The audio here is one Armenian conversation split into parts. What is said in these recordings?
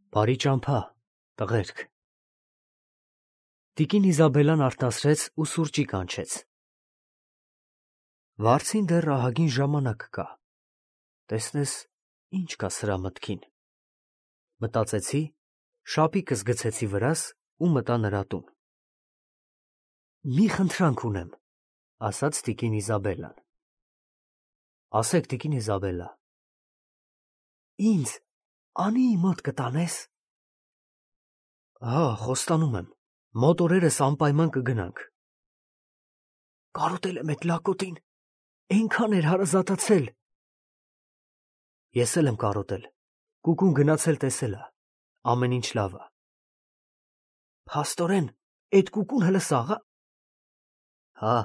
Բարի ճամփա, տղերք։ Տիկին Իզաբելլան արտասրեց ու սուրճի կանչեց։ Վարձին դեռ ահագին ժամանակ կա։ Տեսնես, ինչ կա սրա մտքին։ Մտածեցի, շապիկս գցեցի վրաս ու մտա նրա տուն։ Մի խնդրանք ունեմ, ասաց տիկին Իզաբելլան։ Ասեք, տիկին Իզաբելլա։ Ինձ Անիի մոտ կտանես։ Հա, խոստանում եմ, մոտ օրերս անպայման կգնանք։ Կարոտել եմ էդ լակոտին, այնքան էր հարազատացել։ Ես էլ եմ կարոտել, կուկուն գնացել տեսել ա, ամեն ինչ լավ ա։ Փաստորեն, էդ կուկուն հլը սաղ ա։ Հա,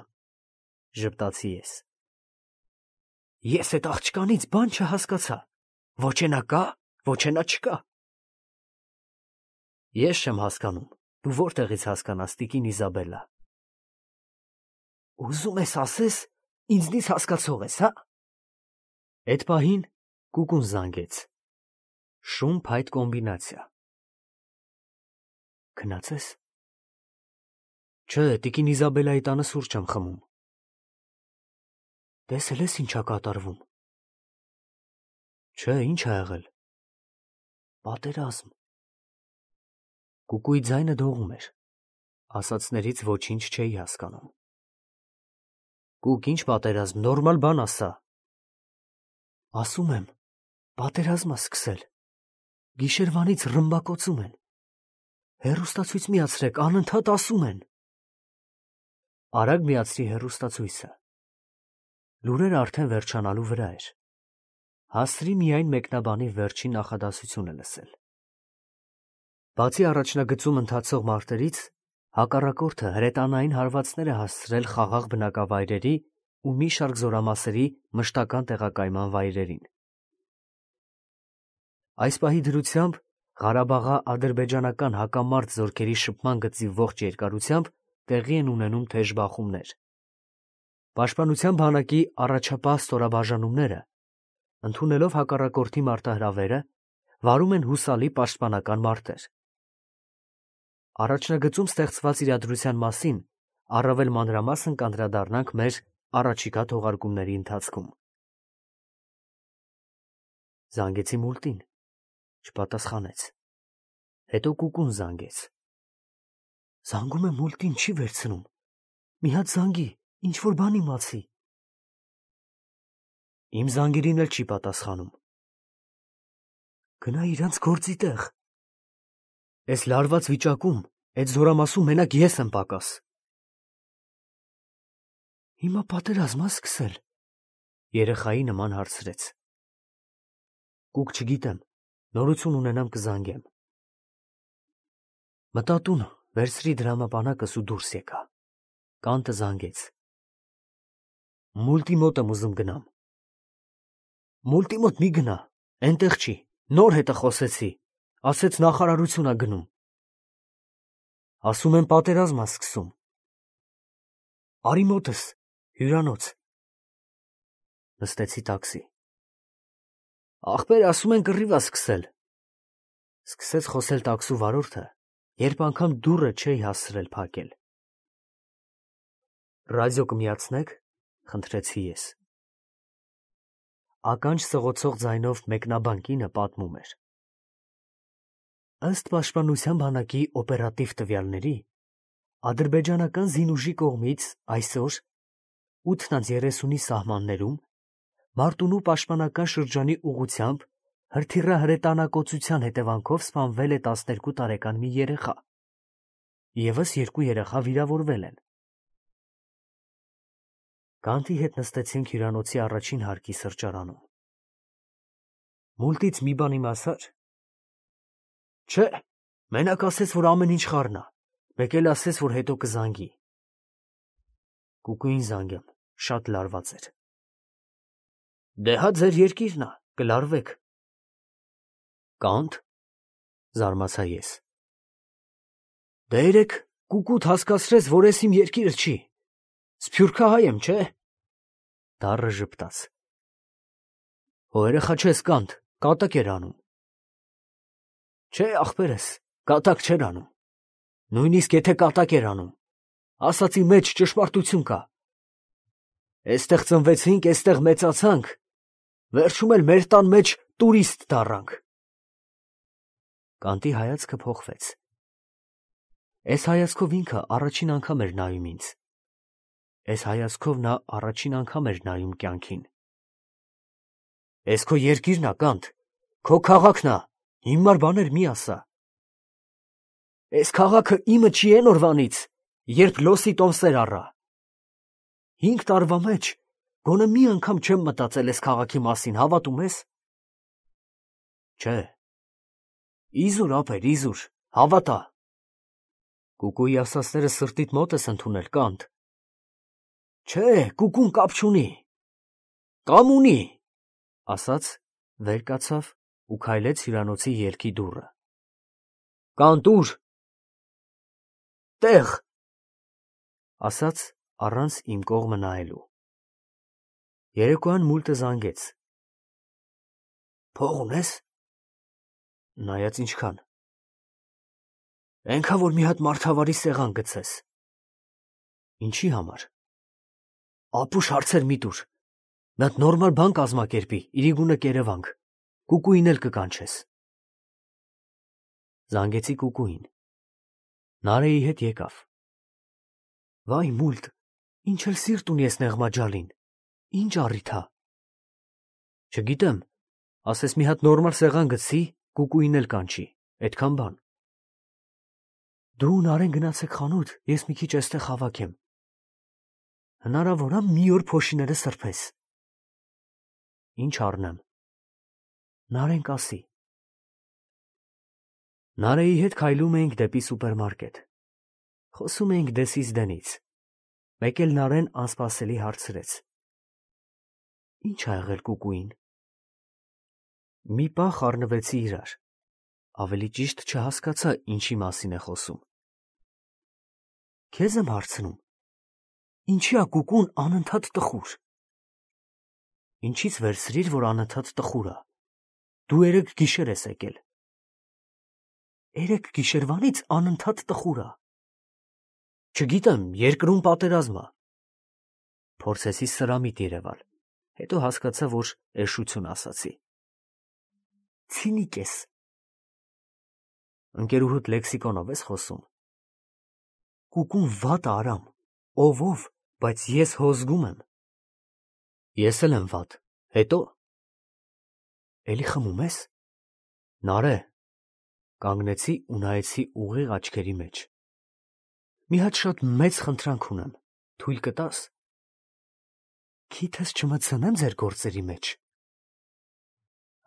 ժպտացի ես։ Ես էդ աղջկանից բան չհասկացա, ոչ ենա կա, ոչ ենա չկա։ Ես չեմ հասկանում, դու որտեղից հասկանաս, տիկին Իզաբելլա։ Ուզում ես ասես, ինձնից հասկացող ես, հա։ Էդ պահին կուկուն զանգեց։ Շուն փայտ կոմբինացիա։ Քնացես։ Չէ, տիկին Իզաբելլայի տանը սուրճ եմ խմում։ Տեսել ես ինչա կատարվում։ Չէ, ինչ ա եղել։ Պատերազմ։ Կուկուի ձայնը դողում էր, ասածներից ոչինչ չէի հասկանում։ Կուկ, ինչ պատերազմ, նորմալ բան ասա։ Ասում եմ, պատերազմ ա սկսել։ Գիշերվանից ռմբակոծում են։ Հեռուստացույց միացրեք, անընդհատ ասում են։ Արագ միացրի հեռուստացույցը։ Լուրերը արդեն վերջանալու վրա էր։ Հասցրի միայն մեկնաբանի վերջին նախադասությունը լսել։ Բացի առաջնագծում ընթացող մարտերից, հակառակորդը հրետանային հարվածներ է հասցրել խաղաղ բնակավայրերի ու մի շարք զորամասերի մշտական տեղակայման վայրերին։ Այս պահի դրությամբ Ղարաբաղի ադրբեջանական հակամարտ զորքերի շփման գծի ողջ երկարությամբ տեղի են ունենում թեժ բախումներ։ Պաշտպանության բանակի առաջապահ ստորաբաժանումները, ընդունելով հակառակորդի մարտահրավերը, վարում են հուսալի պաշտպանական մարտեր։ Առաջնագծում ստեղծված իրադրության մասին առավել մանրամասն կանդրադառնանք մեր առաջիկա թողարկումների ընթացքում։ Զանգեցի մուլտին, չպատասխանեց։ Հետո կուկուն զանգեց։ Զանգում եմ մուլտին, չի վերցնում։ Մի հատ զանգի, ինչ-որ բան իմացի։ Իմ զանգերին էլ չի պատասխանում։ Գնա իրանց գործի տեղ։ Էս լարված վիճակում, այդ զորամասում մենակ ես եմ պակաս։ Հիմա պատերազմ ա սկսել, երեխայի նման հարցրեց։ Կուկ չգիտեմ, նորություն ունենամ կզանգեմ։ Մտա տուն, վերցրի դրամապանակս ու դուրս եկա։ Կանտը զանգեց։ Մուլտի մոտ եմ ուզում գնամ։ Մուլտի մոտ մի գնա, այնտեղ չի, նոր հետը խոսեցի, ասեց նախարարություն ա գնում։ Ասում են պատերազմ ա սկսում։ Արի մոտս, հյուրանոց։ Նստեցի տաքսի։ Ախպեր ասում են կռիվ ա սկսել։ Սկսեց խոսել տաքսու վարորդը, երբ անգամ դուռը չէի հասցրել փակել։ Ռադիո կմիացնեք, խնդրեցի ես։ Ականջ սղոցող ձայնով մեկնաբան կինը պատմում էր։ Ըստ պաշտպանության բանակի օպերատիվ տվյալների, ադրբեջանական զինուժի կողմից այսօր 8:30-ի սահմաններում Մարտունու պաշտպանական շրջանի ուղղությամբ հրթիռահրետանակոծության հետևանքով սպանվել է 12 տարեկան մի երեխա։ Եվս 2 երեխա վիրավորվել են։ Կանտի հետ նստեցինք հյուրանոցի առաջին հարկի սրճարանում։ Մուլտից մի բան իմացա՞ր։ Չէ, մենակ ասեց, որ ամեն ինչ խառն ա, մեկ էլ ասեց, որ հետո կզանգի։ Կուկուին զանգեմ, շատ լարված էր։ Դե հա ձեր երկիրն ա, կլարվեք։ Կանտ, զարմացա ես։ Դե երեք կուկուտ հասկացրեց, որ ես իմ երկիրը չի։ Սփյուռքահայ եմ, չէ։ Դառը ժպտաց։ Հո երեխա չես, Կանտ, կատակ էր անում։ Չէ, ախպերս, կատակ չէր անում։ Նույնիսկ եթե կատակ էր անում, ասացի մեջ ճշմարտություն կա։ Էստեղ ծնվեցինք, էստեղ մեծացանք, վերջում էլ մեր տան մեջ տուրիստ դառանք։ Կանտի հայացքը փոխվեց։ Այս հայացքով ինքը առաջին անգամ էր նայում ինձ։ Այս հայացքով նա առաջին անգամ էր նայում կյանքին։ Էս քո երկիրն ա, Կանտ, քո քաղաքն ա, հիմար բաներ մի ասա։ Էս քաղաքը իմը չի էն օրվանից, երբ լոսի տոմսեր առա։ 5 տարվա մեջ գոնե մի անգամ չեմ մտածել էս քաղաքի մասին, հավատում ես։ Չէ։ Իզուր ապեր, իզուր, հավատա։ Կուկուի ասածները սրտիդ մոտ ես ընդունել, Կանտ։ Չէ, կուկուն կապ չունի։ Կամ ունի, ասաց, վեր կացավ ու քայլեց հյուրանոցի ելքի դուռը։ Կանտ, ուր։ Տեղ, ասաց առանց իմ կողմը նայելու։ Երեկոյան մուլտը զանգեց։ Փող ունես։ Նայած ինչքան։ Էնքան որ մի հատ մարդավարի սեղան գցես։ Ինչի համար։ Ապուշ հարցեր մի տուր։ Մի հատ նորմալ բան կազմակերպի, իրիգունը կերևանք, կուկուին էլ կկանչես։ Զանգեցի կուկուին։ Նարեի հետ եկավ։ Վայ մուլտ, ինչ էլ սիրտ ունի ես նեղմաջալին, ինչ առիթ ա։ Չգիտեմ, ասես մի հատ նորմալ սեղան գցի, կուկուին էլ կանչի, այդքան բան։ Դու Նարեն գնացեք խանութ, ես մի քիչ էստեղ հավաքեմ։ Հնարավոր ա մի օր փոշիները սրբես։ Ինչ առնեմ։ Նարեն կասի։ Նարեի հետ քայլում էինք դեպի սուպերմարկետ։ Խոսում էինք դեսից դենից։ Մեկ էլ Նարեն անսպասելի հարցրեց. Ինչ ա եղել կուկուին։ Մի պահ խառնվեցի իրար։ Ավելի ճիշտ չհասկացա ինչի մասին է խոսում։ Քեզ եմ հարցնում. ինչի ա կուկուն անընդհատ տխուր։ Ինչից վերցրիր, որ անընդհատ տխուր ա։ Դու երեկ գիշեր ես եկել։ Երեկ գիշերվանից անընդհատ տխուր ա։ Չգիտեմ, երկրում պատերազմ ա։ Փորձեցի սրամիտ երևալ, հետո հասկացա, որ էշություն ասացի։ Ցինիկ ես։ Ընկերուհուդ լեքսիկոնով ես խոսում։ Կուկուն վատ արամ, ով, բայց ես հոզգում եմ։ Ես էլ եմ վատ, հետո։ Էլի խմում ես։ Նարե, կանգնեցի ու նայեցի ուղիղ աչքերի մեջ։ Մի հատ շատ մեծ խնդրանք ունեմ, թույլ կտաս։ Քիթս չմտցնեմ ձեր գործերի մեջ։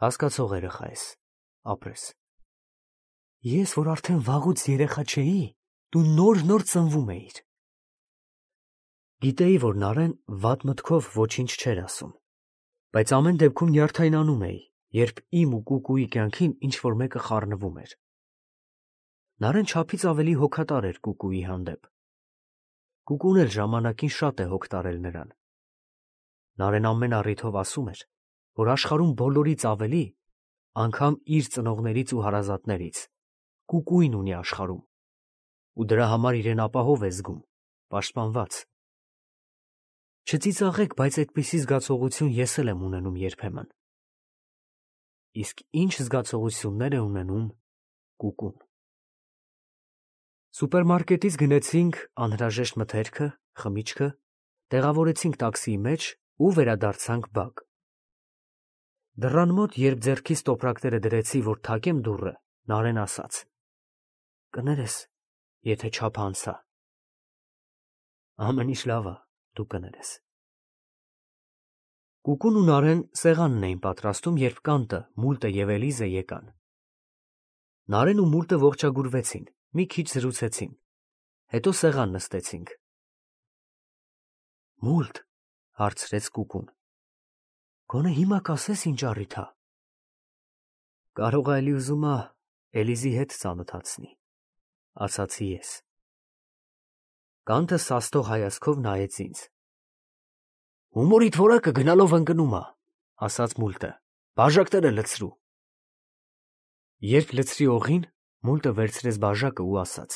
Հասկացող երեխա ես, ապրես։ Ես, որ արդեն վաղուց երեխա չէի, դու նոր ծնվում էիր։ Գիտեի, որ Նարեն վատ մտքով ոչինչ չէր ասում, բայց ամեն դեպքում նյարդայնանում էի, երբ իմ ու կուկուի կյանքին ինչ-որ մեկը խառնվում էր։ Նարեն չափից ավելի հոգատար էր կուկուի հանդեպ։ Կուկուն էլ ժամանակին շատ է հոգ տարել նրան։ Նարեն ամեն առիթով ասում էր, որ աշխարհում բոլորից ավելի, անգամ իր ծնողներից ու հարազատներից, կուկուին ունի աշխարհում, ու դրա համար իրեն ապահով է զգում, պաշտպանված։ Չծիծաղեք, բայց այդպիսի զգացողություն ես էլ եմ ունենում երբեմն։ Իսկ ինչ զգացողություններ է ունենում կուկուն։ Սուպերմարկետից գնեցինք անհրաժեշտ մթերքը, խմիչքը, տեղավորեցինք տաքսիի մեջ ու վերադարձանք բակ։ Դռան մոտ, երբ ձեռքիս տոպրակները դրեցի, որ թակեմ դուռը, Նարեն ասաց. Կներես, եթե չափ անցա։ Ամեն ինչ լավ ա, դու կներես։ Կուկուն ու Նարեն սեղանն էին պատրաստում, երբ Կանտը, Մուլտը և Էլիզը եկան։ Նարեն ու Մուլտը ողջագուրվեցին, մի քիչ զրուցեցին, հետո սեղան նստեցինք։ Մուլտ, հարցրեց Կուկուն, գոնե հիմա կասես ինչ առիթ ա։ Կարող ա էլի ուզում ա Էլիզի հետ ծանոթացնի, ասացի ես։ Կանտը սաստող հայացքով նայեց ինձ։ Հումորիդ որակը գնալով ընկնում ա, ասաց Մուլտը, բաժակները լցրու։ Երբ լցրի օղին, մուլտը վերցրեց բաժակը ու ասաց.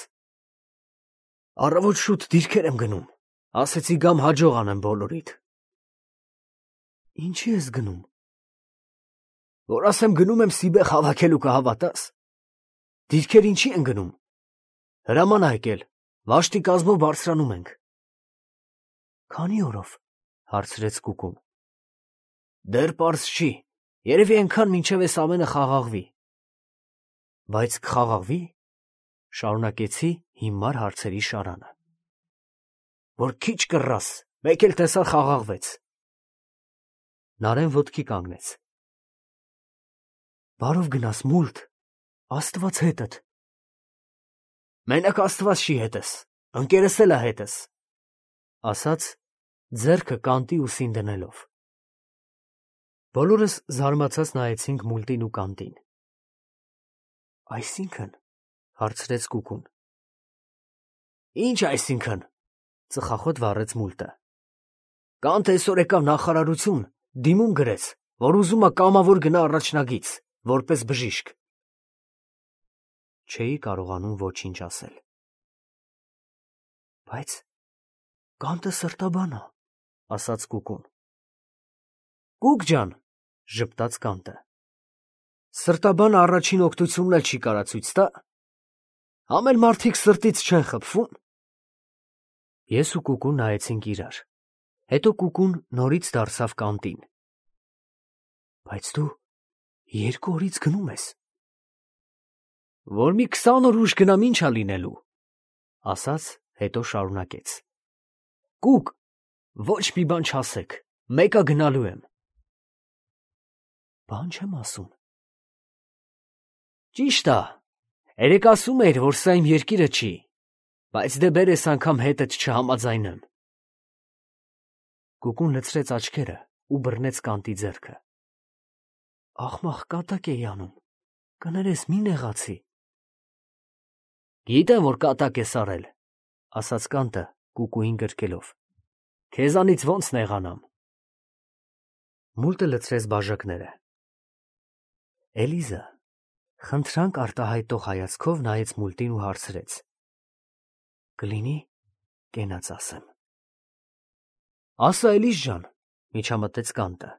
«Առավոտ շուտ դիրքեր եմ գնում, ասեցի գամ հաջող անեմ բոլորիդ»։ «Ինչի ես գնում»։ «Որ ասեմ գնում եմ Սիբեղ հավաքելու կհավատաս։ Դիրքեր ինչի են գնում։ Հրաման ա եկել, վաշտի կազմով բարձրանում ենք»։ «Քանի օրով»։ հարցրեց Կուկուն։ «Դեռ պարզ չի, երևի այնքան մինչև էս ամենը խաղաղվի»։ «Բայց կխաղաղվի»։ Շարունակեցի հիմար հարցերի շարանը։ «Որ քիչ կռաս, մեկ էլ տեսար խաղաղվեց»։ Նարէն ոտքի կանգնեց։ «Բարով գնաս, մուլտ, Աստված հետդ»։ «Մենակ Աստված չի հետս, ընկերս էլ ա հետս», ասաց, ձեռքը կանտի ուսին դնելով։ Բոլորս զարմացած նայեցինք մուլտին ու կանտին։ «Այսինքն»։ հարցրեց Կուկուն։ «Ինչ այսինքն», ծխախոտ վառեց մուլտը։ «Կանտ այսօր եկավ նախարարություն, դիմում գրեց, որ ուզում ա կամավոր գնա առաջնագիծ, որպես բժիշկ»։ Չէի կարողանում ոչինչ ասել։ «Բայց կանտը սրտաբան ա», ասաց Կուկուն։ «Կուկ ջան», ժպտաց կանտը, «սրտաբանը առաջին օգնությունն էլ չի կարա ցույց տա։ Համ էլ մարդիկ սրտից չեն խփվում»։ Ես ու Կուկուն նայեցինք իրար։ Հետո Կուկուն նորից դարձավ կանտին։ «Բայց դու 2 օրից գնում ես»։ «Որ մի 20 օր ուշ գնամ ինչ ա լինելու», ասաց, հետո շարունակեց։ «Կուկ, ոչ մի բան չասեք, մեկ ա գնալու եմ»։ «Բան չեմ ասում»։ «Ճիշտ ա, երեկ ասում էիր, որ սա իմ երկիրը չի, բայց դե բեր էս անգամ հետդ չհամաձայնեմ»։ Կուկուն լցրեց աչքերը ու բռնեց կանտի ձեռքը։ «Ախմախ կատակ էի անում, կներես մի նեղացի»։ «Գիտեմ, որ կատակ ես արել», ասաց կանտը Կուկուին գրկելով։ «Քեզանից ոնց նեղանամ»։ Մուլտը լցրեց բաժակները։ Էլիզա խնդրանք արտահայտող հայացքով նայեց մուլտին ու հարցրեց. «Կլինի կենաց ասեմ»։ «Ասա, Էլիզ ջան», միջամտեց կանտը։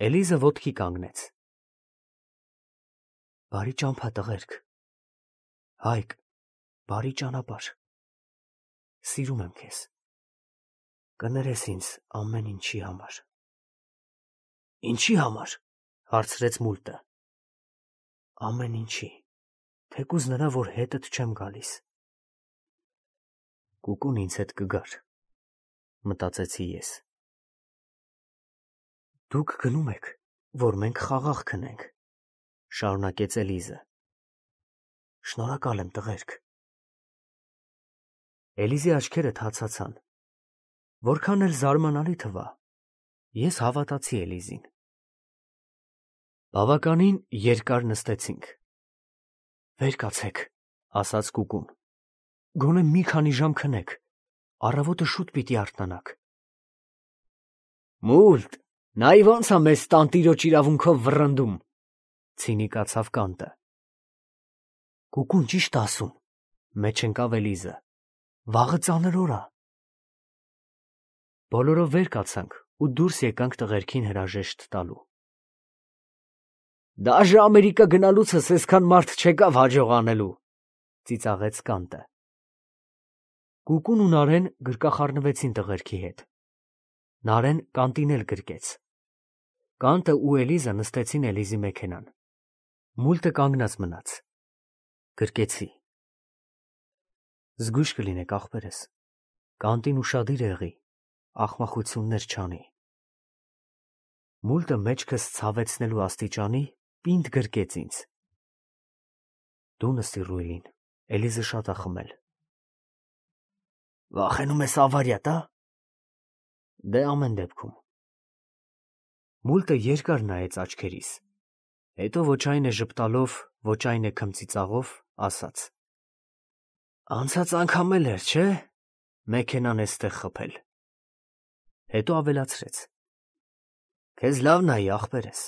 Էլիզը ոտքի կանգնեց։ «Բարի ճամփա տղերք, Հայկ, բարի ճանապարհ, սիրում եմ քեզ, կներես ինձ ամեն ինչի համար»։ «Ինչի համար»։ հարցրեց մուլտը։ «Ամեն ինչի, թեկուզ նրա, որ հետդ չեմ գալիս»։ Կուկուն ինձ հետ կգար, մտածեցի ես։ «Դուք գնում եք, որ մենք խաղաղ քնենք», շարունակեց Էլիզը։ «Շնորհակալ եմ տղերք»։ Էլիզի աչքերը թացացան։ Որքան էլ զարմանալի թվա, ես հավատացի Էլիզին։ Բավականին երկար նստեցինք։ «Վեր կացեք», ասաց Կուկուն։ «Գոնե մի քանի ժամ քնեք, առավոտը շուտ պիտի արթնանաք»։ «Մուլտ, նայ ոնց ա մեզ տանտիրոջ իրավունքով վռնդում», ցինիկացավ կանտը։ «Կուկուն ճիշտ ա ասում», մեջ ընկավ Էլիզը։ «Վաղը ծանր օր ա»։ Բոլորով վեր կացանք ու դուրս եկանք տղերքին հրաժեշտ տալու։ «Դաժե Ամերիկա գնալուցս այսքան մարդ չեկավ հաջող անելու», ծիծաղեց կանտը։ Կուկուն ու Նարեն գրկախառնվեցին տղերքի հետ։ Նարեն կանտին էլ գրկեց։ Կանտը ու Էլիզա նստեցին Էլիզի մեքենան։ Մուլտը կանգնած մնաց։ Գրկեցի։ «Զգույշ կլինեք, ախպերս, կանտին ուշադիր եղի, ախմախություններ չանի»։ Մուլտը մեջքս ցավեցնելու աստիճանի պինդ գրկեց ինձ։ «Դու նստի ռուլին, Էլիզը շատ ա խմել»։ «Վախենում ես ավարիա տա»։ «Դե ամեն դեպքում»։ Մուլտը երկար նայեց աչքերիս, հետո ոչ այն է ժպտալով, ոչ այն է քմծիծաղով ասաց. «Անցած անգամ էլ էր, չէ՞, մեքենան էստեղ խփել»։ Հետո ավելացրեց. «Քեզ լավ նայի, ախպերս,